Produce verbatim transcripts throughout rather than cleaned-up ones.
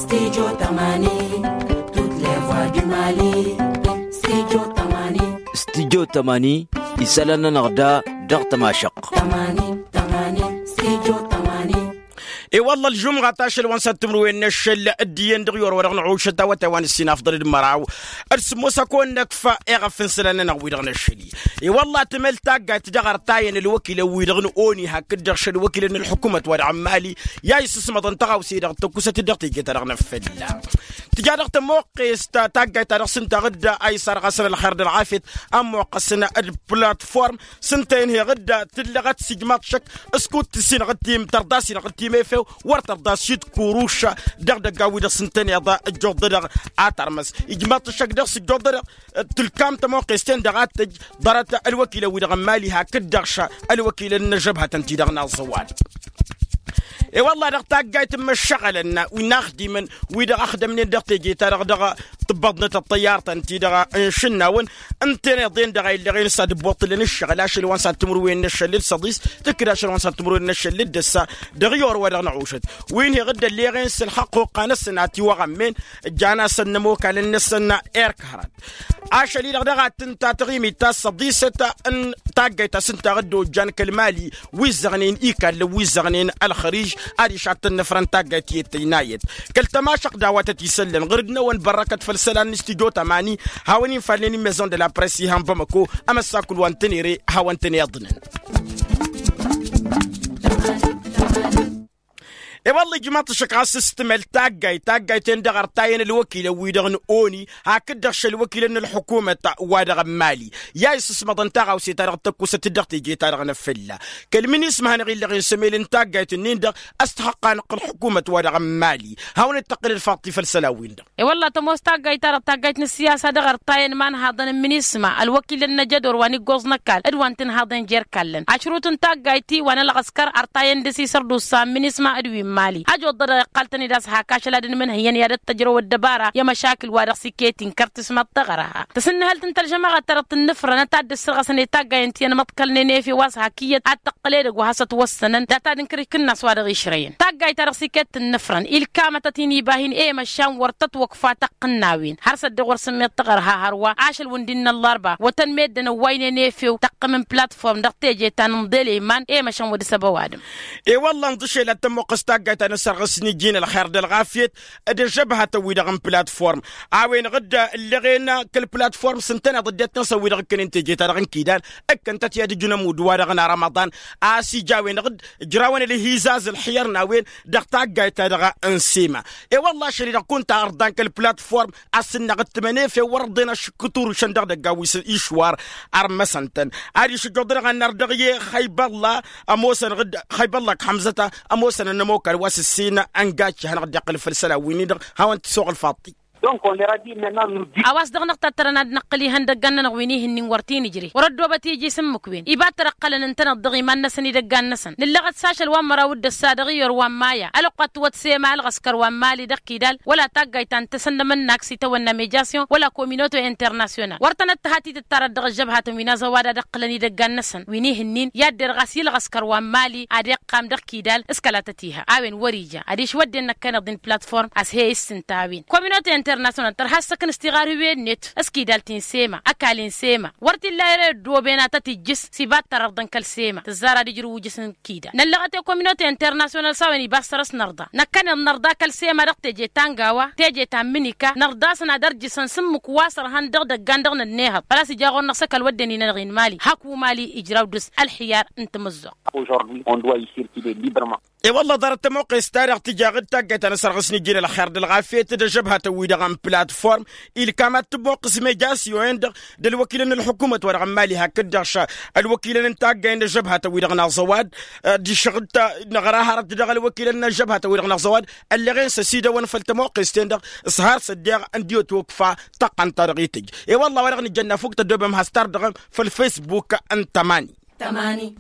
Stidyo tamani. Tut levwa du mali. Stidyo tamani. Stidyo tamani. Isălan-nănăɣ da dăɣ-tămašăɣt. Tamani tamani. Stidyo tamani. I-wălla ălžumɣa ta ašăl wa n-săr timǝrwen n-ašăl dd-iyyăn dăɣ-i orăwădăɣ n-aɣušăt awătay wa n-ǝssin afḍăl d-măraw d-sǝmmos a kăwăn-năkf eɣăf n-isălan-nănăɣ wi-dăɣ n-ašăl-i. I-wălla tǝmel taggayt dăɣ-ărtayăn ălwăkilăn wi-dăɣ n-oni hakd-dăɣ šălwăkilăn n-ălḥukumăt wa dăɣ-n mali i-a isǝsmăḍăn tăɣawse-i-dăɣ tăkkusăt-dd dăɣ-teje-ta-dăɣ n-afălla. Tǝja dăɣ-tămoqqest taggayt ta dăɣ-s ǝnta ɣǝdda a isarɣasăn ălxer d-ălɣafyăt ămmoqqăsăn d-platform s-ǝnta-en heɣ dd-tǝllăɣăt s-ijmaḍ šăkk s-kud-tǝssinăɣ d-tim tărḍasinăɣ d-tim efew wăr tărḍas šid kuruša. Dăɣ-idăggan-wi-dăɣ s-ǝntăneḍ ǝjjuḍ-dăɣ a tărmăs ijmaḍ-t šăkk dăɣ-s ǝjjuḍ-dăɣ tǝlkam tămoqqest-en-dăɣ a t-tǝj ḍarăt ălwăkilăn-wi-dăɣ n-mali hakd-dăɣ š-ălwăkilăn n-ăžžăbhătăn-ti-dăɣ n-aẓăwal. I-wălla dăɣ-taggayt n-imăššăɣălăn wi n-axdimăn wi-dăɣ ăxdămnen dăɣ-teje-ta-dăɣ dăɣ-tǝbbăḍnăt ăṭṭăyyartăn-ti-dăɣ n-išǝnnawen ǝnta-en iḍen dăɣ-a illăɣen s-ad-ǝbbuṭṭǝlăn ǝššăɣǝl ašăl wa n-săr timǝrwen n-ašăl d-săḍis tǝkkǝd ašăl wa n-săr timǝrwen n-ašăl d-ăssa. Dăɣ-i orăwădăɣ n-aɣušăt wi n-heɣ dd-ălleɣen s-ălxăqq hoqqa-năsăn a tiwăɣămmen ǝjjan-asăn n-ămokal-năsăn erk hărăt. Ašăl-i-dăɣ daɣ ad-tǝnta taɣimit ta s-săḍisăt n-taggayt ta s-ǝnta ɣǝdda ojjan kăl-mali wi ǝzzăɣnen ikallăn wi ǝzzăɣnen ălxărij. Adiš ad-tăn-nǝfrăn taggayt i-dd tăjnayăt kăl-tămašăɣt d-a-wa tăt-isăllăn ɣǝr-dd-năwăn bărrăkăt făll-isălan n-studyo tămani. Hawăn-in-falnen imezon d-la press ihăn bamăko ămăssakul wa n-tănere hawăn-tăn-iḍnăn. I-wălla ijmaḍ-t šăkk ɣas s-tǝmel taggayt taggayt-en-dăɣ ărtayăn ălwăkilăn-wi-dăɣ n-oni hakd-dăɣ šălwăkilăn n-ălḥukumăt wa dăɣ-n mali i-a isǝsmăḍăn taɣawse-ta-dăɣ tăkkusăt-dd dăɣ-teje-ta-dăɣ n-afălla. Kăl-minisma hanăɣ-illăɣen s-emel n-taggayt-nin-dăɣ a-s tăxăqqanăɣ-t ălḥukumăt wa dăɣ-n mali hawăn-dd-tăqqǝl ălfaḍt-i făll-isălan-win-dăɣ. I-wălla tămoos taggayt-ta-dăɣ taggayt n-ǝssiyasa dăɣ-ărtayăn imanhaḍăn n-minisma ălwăkilăn n-ajădor wa n-iggoẓ n-ăkall d-wa n-tinhaḍen jer-ikallăn ašrut n-taggayt-i wa n-ălɣăskăr ărtayăn dăr-s isărdusa n-minisma d-wi n-mali ăjoḍădăɣ iqqal-tăn-dd a-s hak ašăl ad-ǝnmǝnhǝyăn i-ad-ăttăjrăw ăddăbara i-emăšakǝl wa dăɣ-s iket inkăr tismăḍt taɣărha. Tǝsǝnnǝhăl tǝnta ălžămăɣăt ta dăɣ-tǝnnǝfrănăt ad-dd-ǝssărɣăsăn i-taggayăn ti ănmăḍkălnen efew a-s hak iyyăt ad-tăqqǝl edăgg wa hasăt-wăssănăn data d-inkăr ikǝnnas wa dăɣ-išrăyăn taggayt ta dăɣ-s iket tǝnnǝfrăn ilkamătăt inibah-in i-măšan wăr tătwăkfa tăqqǝnnawen har s-ăddiɣ wăr sǝmmeḍ taɣărha hărwa ašăl wǝndin n-ăllărba wătăn meddǝn ăwwaynen efew tăqqǝm n-platform dăɣ-teje ta n-inḍel i-iman i-măšan wăr dăr-s ăba ăwadǝm. I-wălla ǝnḍǝšel ad-tămmuqqǝs taggayt ta n-ăssărɣǝsni ǝjjin ălxer d-ălɣafyăt d-ăžžăbhătăn-wi-dăɣ n-platform a-wen ɣǝdda ǝlleɣen kăl-platform s-ǝntăneḍ ăddinăt-năsăn wi-dăɣ ǝkkănen teje-ta-dăɣ n-kidal ǝkkăn-tăt i-ad-ǝjǝn ămudd wa dăɣ-nara ămaḍan a-s ija a-wen-dăɣ dd-ǝjrawăn ălhizaz ălxiyăr n-a-wen dăɣ-taggayt-ta-dăɣ n-sema. I-wălla ašăl-i-dăɣ kunta ărḍan kăl-platform a-s ǝnnăɣ ǝttǝmăn efew wăr-ărḍen ašǝkkǝt urǝšăn dăɣ-idăggan wi s-išwar. Ărmăsăn-tăn adiš ǝjjuḍ-dăɣ ănnar dăɣ-i xăybălla ămoosăn ɣǝd xăybălla ăkk hămzăt ămoosăn ănămokal wa s-ǝssin ăngacci hanăɣ-dd-iqqǝl făll-isălan-win-dăɣ. Hawăn-t-isuɣǝl faḍt-i. A-wa s-dăɣ-năɣ tattărăn ad-năqqǝl ihăndăg dăgg-annănăɣ wi n-ihǝnnin wăr t-in-ǝjre wăr-ăddoobăt iji s-ǝmmǝk-wen iba t-tărăqqălăn ǝntăneḍ dăɣ-iman-năsăn idăggan-năsăn nǝllăɣăt s-ašăl wa n-măraw d-ăssa dăɣ-iyyăr wa n-maya ălwăqq wa t-tǝwăt sema ălɣăskăr wa n-mali dăɣ-kidal wăla taggayt ta n-tasănnămănnak s-itawănna mejasyon wăla kominoto internasyonal wăr tănăt-tăhat itǝttarăt dăɣ-ăžžăbhatăn wi n-azăwad ad-ǝqqǝlăn idăggan-năsăn wi n-ihǝnnin i-ad-derɣas i-ălɣăskăr wa n-mali ad-iqqam dăɣ-kidal s-kăla tăt-iha a-wen wăr-ija adiš wădden năkkăneḍ-in platform a-s he-issǝnta a-wen kominoto internasyonal tărha ăssăknǝs tiɣarhiwen-net s-kidal ti n-sema ăkall-in sema wăr t-illa ere ăddooben ad-tăt-ijjǝs s-iba t-tărărḍăn kăl-sema tǝzzar ad-ijrǝw ujǝs n-kidal năllăɣăt i-kominoto internasyonal s-a-wen iba s-săr-s nărḍa năkkăneḍ nărḍa kăl-sema dăɣ-teje ta n-gawa teje ta n-mǝnika nărḍa-săn ad-ărjǝsăn s-ǝmmǝk wa s-ărhăn dăɣ-idăggan dăɣ-nănnehăḍ făl-a-s ija ɣur-năɣ s-ăkall wădden inănăɣ-in mali hak umal ijraw dăr-s ălxiyar n-tamǝzzuɣt. Aujourd'hui on doit y circuler librement. I-wălla ḍarăt tămoqqes-ta-dăɣ tǝja ɣǝd taggayt ta n-asărɣǝs n-ijjǝn ălxer d-ălɣafyăt d-ăžžăbhatăn-wi-dăɣ n-platform ilkam ad-tămoqqǝs mejasyon-en-dăɣ d-ălwăkilăn n-ălḥukumăt wa dăɣ-n mali hakd-dăɣ š-ălwăkilăn n-taggay n-ăžžăbhatăn-wi-dăɣ n-aẓăwad. Diš ɣǝd-ta năɣra hărăt dăɣ-ălwăkilăn n-ăžžăbhatăn-wi-dăɣ n-aẓăwad ălleɣen s-ăsidăwăn făll-tămoqqest-en-dăɣ s-har s-ăddeɣ ǝndi otwăkfa tăqqăn-ta-dăɣ itǝj. I-wălla wa dăɣ-nǝjjănna fuk tăddoobem has-tardăɣăm făll-facebook n-tămani. Tămani.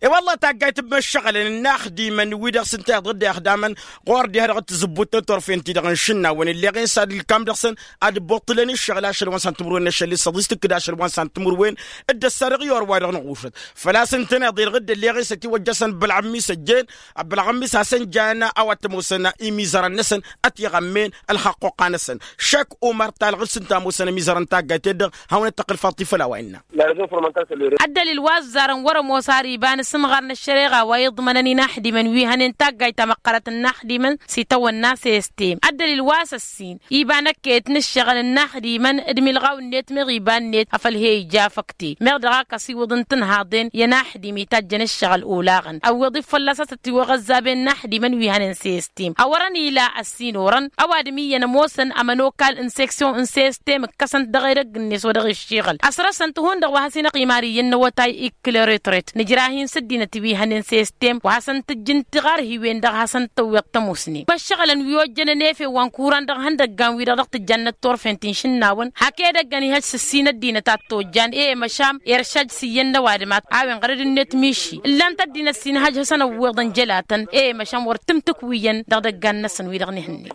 E-wălla taggayt n-imăššăɣǝlăn n-inaxdimăn-wi-dăɣ s-ǝnta iḍădde ăxdamăn ɣur-diha dăɣ-tǝzǝbbut n-turfen-ti-dăɣ n-išǝnnawăn ǝlleɣ-en s-ad-ǝlkam dăɣ-săn ad-ǝbbuṭṭǝlăn ǝššăɣǝl ašăl wa n-săn timǝrwen n-ašăl-i s-ăḍis tǝkkǝd ašăl wa n-săn timǝrwen. D-ăssa dăɣ-i orwa-dăɣ n-ɣušăt făl-a-s ǝntăneḍ-i-dăɣ dd-ălleɣ-en s-ătiwăjja-săn bălɣămmis ăjjeen. Bălɣămmis hasăn-jan a-wa t-ămoosăn imizărăn-năsăn ătiɣămmen ălxăqquqa-năsăn. Šek umăr talɣǝd s-ǝnta ămoosăn imizărăn n-taggayt-en-dăɣ hawăn-ăttăqqǝl faḍt-i făll-a-wa innă. Ăddălil wa ăzzarăn wăr-ămoos ar iba n-asǝmɣar n-ăššăreɣa wa iḍmănăn inaxdimăn wi hănen taggayt tamăqqărăt n-inaxdimăn s-itawănna s-e-s tem ăddălil wa s-ăssin iba n-ăkket n-ǝššăɣǝl n-inaxdimăn d-imilɣaw-net meɣ iba-net afăl he-ija făkte meɣ dăɣ-ak ăsiwǝḍ n-tinhaḍen i-ănaxdim itajjăn ǝššăɣǝl olaɣăn ăwwiḍ-i fălla-s a-s ătiwăɣ ăzzaben n-inaxdimăn wi hănen s-e-s tim a-wărăn ila ăssinorăn ăwadǝm iyyăn ămoosăn ămănokal n-seksyon n-s-e-s tem ǝkkăsăn-t dăɣ-edăgg-net wa dăɣ-iššiɣǝl ăsrăsăn-t hundăɣ wa has-inăqimar iyyăn n-awătay ikk'-i retret nǝjra-hin s-ăddinăt wi hănen s-e-s tem wa hasăn-tǝjjǝn tiɣarhiwen dăɣ-hasăn-tăwweḍ tămusnen imăššăɣǝlăn wi ojjănăn efew wa n-kuran dăɣ-ihăndăggan-wi-dăɣ dăɣ-tǝjjannăt turfen ti n-išǝnnawăn hak edăggăn ihăj s-ăssin ăddinăt a t-ojjan e-e măšan iršaj s-iyyăn n-ăwadǝm a-wen ɣărăd-net miši ǝllan-t ăddinăt s-inhăj hasăn-ăwweḍăn jălatăn e-e măšan wăr tǝmtǝkwiyyăn dăɣ-idăggan-năsăn wi-dăɣ n-ihǝnnin.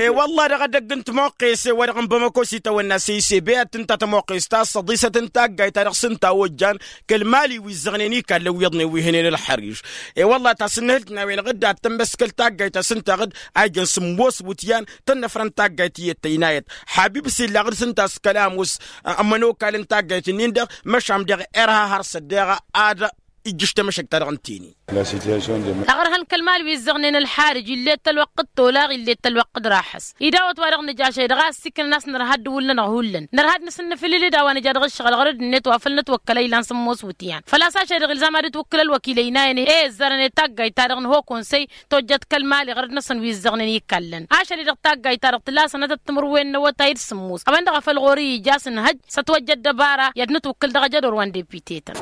E-wălla dăɣ-edăgg n-timoqqes e-wa-dăɣ n-bamăko s-itawănna s-e-s e-be ad-tǝnta timoqqes ta s-ăḍisăt n-taggayt-ta-dăɣ s-ǝnta a ojjan kăl-mali wi ǝzzăɣnen ikallen wi iyyăḍnen wi hănen ălxăriž. E-wălla tasǝnnǝhǝlt n-a-wen-dăɣ dd-ad-tămmăskăl taggayt ta s-ǝnta ɣǝd a ijăn sǝmmos iwǝtyan tănnăfrăn taggayt iyyăt tăynayăt. Habib s-illa ɣǝd s-ǝnta s-kăla ămoos ămănokal n-taggayt-nin-dăɣ măšan dăɣ-erha har săddeɣ ad-ijjǝš tamăšăkt-ta-dăɣ ǝnta-eni. Aɣrǝhăn kăl-mali wi ǝzzăɣnen ălxarǝj ill'-et tălwăqq d-tolaɣ ill'-et tălwăqq d-raxăs. Idawăt-wa-dăɣ nǝj ašăl-i-dăɣ a ǝssiknăn a-s nărha dd-hullan-năɣ hullan nărha d-nǝsǝnnǝfǝlǝl d-a-wa nǝja dăɣ-ǝššăɣǝl ɣărăd-net wa făl nătwăkkăl a ilan sǝmmos iwǝtyan făl-a-s ašăl-i-dăɣ ilzam ad-dd-twǝkkǝl ălwăkil ăynayăn i-ăzzarăn i-taggayt-ta-dăɣ nǝha okonsăy tojjăt kăl-mali ɣărăd-năsăn wi ǝzzăɣnen ikallan ašăl-i-dăɣ taggayt-ta-dăɣ tǝla sănătăt timǝrwen n-awătay d-sǝmmos a-wen-dăɣ a făl ɣur-i ija a-s ǝnhăj s-ătwăjja ăddăbara i-ad-nǝtwǝkkǝl dăɣ-ajădor wa n-depite-tăn.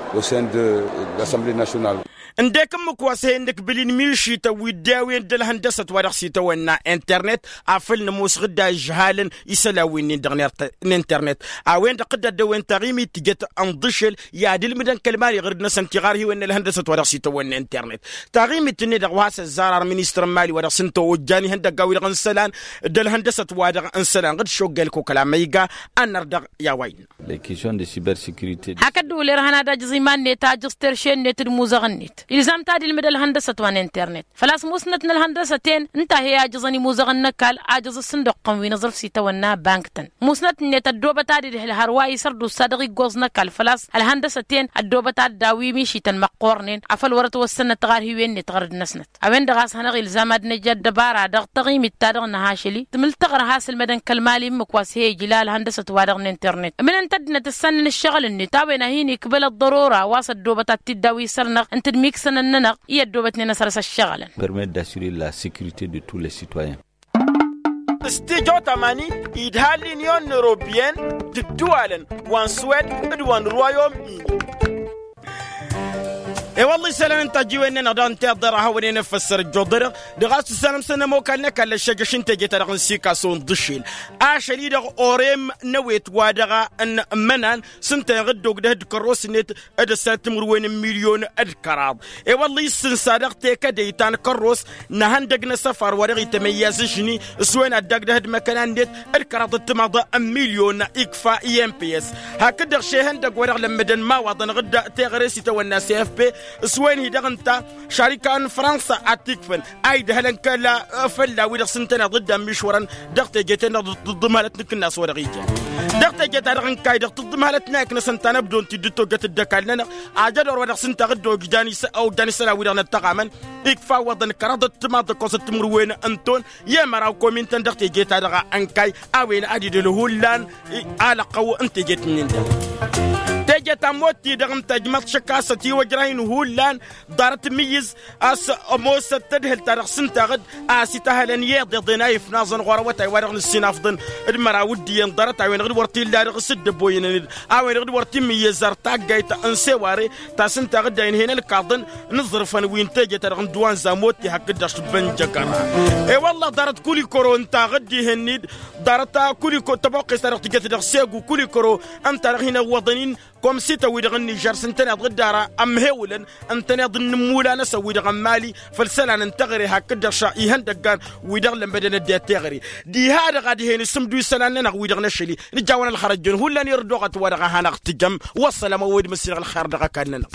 Ǝndek ǝmmǝk wa s-he-nǝkbǝl-in mišităn wi dd-e-a-wen d-ălhăndăsăt wa dăɣ-s itawănna internet afăl nămoos ɣǝdda ižhalăn isălan wi-nin-dăɣ n-internet. A-wen-dăɣ dd-ăddăwen taɣimit tǝjăt ǝnḍǝšel i-ad-ǝlmǝdăn kăl-mali ɣǝrǝd-năsăn tiɣarhiwen n-ălhăndăsăt wa dăɣ-s itawănna internet. Taɣimit-net-dăɣ wa s-ăzzar ar ministăr n-mali wa dăɣ-s ǝnta ojjan ihăndăgga wi-dăɣ n-isălan d-ălhăndăsăt wa dăɣ-n isălan ɣǝd šoggel kokăl amăyga. Ănnăr dăɣ-i a-wa innă. Hak ăddăwǝl irhăn ad-ajǝẓ iman-net ajǝẓ terše-net d-imuzăɣ-net ilzam-t ad-ilmǝd ălhăndăsăt wa n-internet făl-a-s musnăt n-ălhăndăsăt-en ǝnta he-ajǝẓăn imuzăɣăn n-ăkall ajǝẓ ǝssǝnduqqăn wi n-aẓrǝf s-itawănna bank-tăn musnăt-net ăddoobăt ad-idhǝl hărwa isărdus a dăɣ-iggoẓ n-ăkall făl-a-s ălhăndăsăt-en ăddoobăt ad-daw-i mišităn măqqoornen afăl wăr-ătwăssănăt tiɣarhiwen-net ɣărăd-năsnăt. A-wen-dăɣ a-s hanăɣ-ilzam ad-nǝj ăddăbara dăɣ-taɣimit-ta-dăɣ nǝhašăl-i tǝmǝl tăɣrǝha s-ǝlmădăn kăl-mali ǝmmǝk wa s-he-ijla ălhăndăsăt-wa-dăɣ n-internet ǝmǝnăn-t ăddinăt ǝssannăn ǝššăɣǝl-net a-wen a hin-ikbăl ăḍḍărora wa s-ăddoobăt ad-t-dd-awi isăr-năɣ ǝnta d-imiksănăn-nănăɣ i-ăddoobătnen asăr s-ăššăɣǝlăn. Permet d-assurer la securite de tous les citoyens. S-tijo tamani idha l-inyon n-europien d-ǝddǝwalăn wa n-swed d-wa n-ruwayom-in. E-wălla isălan n-tajiwen-nănăɣ daɣ n-tiḍăra hawănen ăffăssăr ăjjoḍărăɣ dăɣ-a-s tǝssanăm-săn ămokal n-ăkall ăššăjăš n-teje-ta-dăɣ n-sikaso n-ḍǝšel ašăl-i-dăɣ orem n-ewet wa dăɣ-a n-ămmănan s-ǝnta-en ɣǝdda ogdăh d-kărros-net d-ăssanăt timǝrwen n-milyon d-kăraḍ. E-wălla issǝnsa dăɣ-tekădăy ta n-kărros n-ehăndăg n-asăfar wa dăɣ-itămăyyaz ažni s-wen ad-dagdăh d-imăkăna-net d-kăraḍ d-timaḍ n-milyon ikfa i-mps. Hakd-dăɣ šehăndăg wa dăɣ-lămmădăn imawaḍăn ɣǝdda teɣăre s-itawănna s-efp s-wen-hi-dăɣ ǝnta šarika n-fransa ad-t-ikfăn a idhălăn kăla fălla-wi-dăɣ s-ǝntăneḍ dd-ămmišwărăn dăɣ-teje-ten-dăɣ d-tǝḍḍǝmhălăt n-akǝnnas wa dăɣ-ija dăɣ-teje-ta-dăɣ ǝnkay dăɣ-tǝḍḍǝmhălăt n-ayǝk-năsăn ta n-ăbdon-t-dd-tojjăt dd-ăkall-nănăɣ. Ajădor wa dăɣ-s ǝnta ɣǝdda ojjan isălan wi-dăɣ năttăɣamăn ikfa iwwăḍăn kăraḍăt timaḍ d-ăkkoẓăt timǝrwen n-ton i-măraw komin-tăn dăɣ-teje-ta-dăɣ ǝnkay a-wen ad-idhǝl hullan alăqqăw n-tejet-nin-dăɣ. Teje ta n-motti-dăɣ ǝnta ǝjmăḍ šăkk a-s ătiwăjrăyăn hullan ḍarăt mǝyyǝz a-s ămoosăt tadhǝlt-ta-dăɣ s-ǝnta ɣǝd a-s itahălăn i-iḍeḍen a ifnaẓăn ɣur-awătay wa dăɣ-nǝssinafḍăn d-măraw d-iyyăn ḍarăt a-wen-dăɣ d-wăr t-illa dăɣ-s dd-ăboyănăn-dd a-wen-dăɣ d-wăr t-imǝyyăz ar taggayt n-seware ta s-ǝnta ɣǝd a inhăyăn ălkaḍăn n-aẓrǝfăn wi n-teje-ta-dăɣ n-duwanza motti hakd-dăɣ šǝbbăn jăgăra. E-wălla ḍarăt kulikoro ǝnta ɣǝd ihǝnni-dd ḍarăt kuliko tăboqqes-ta-dăɣ tǝjăt dăɣ-segu kulikoro ǝnta dăɣ-hin-ăwwăḍăn-in. Kom s-itawǝy-dăɣ n-nižer s-ǝntăneḍ ɣǝddara ămhewǝlăn ǝntăneḍ n-inǝmmulan-năsăn wi-dăɣ n-imali făll-isălan n-teɣăre hakd-dăɣ šăr ihăndăggan wi-dăɣ lămmădăn ăddinăt teɣăre. Diha-dăɣ ad-hen-isǝmdu isălan-nănăɣ wi-dăɣ n-ašăl-i nǝjawăn ălxărăt jăn hullan irăd oɣăt wa dăɣ-a hanăɣ-tǝjăm. Wăssălam a-wa dd-măssinăɣ ălxer dăɣ-ăkall-nănăɣ.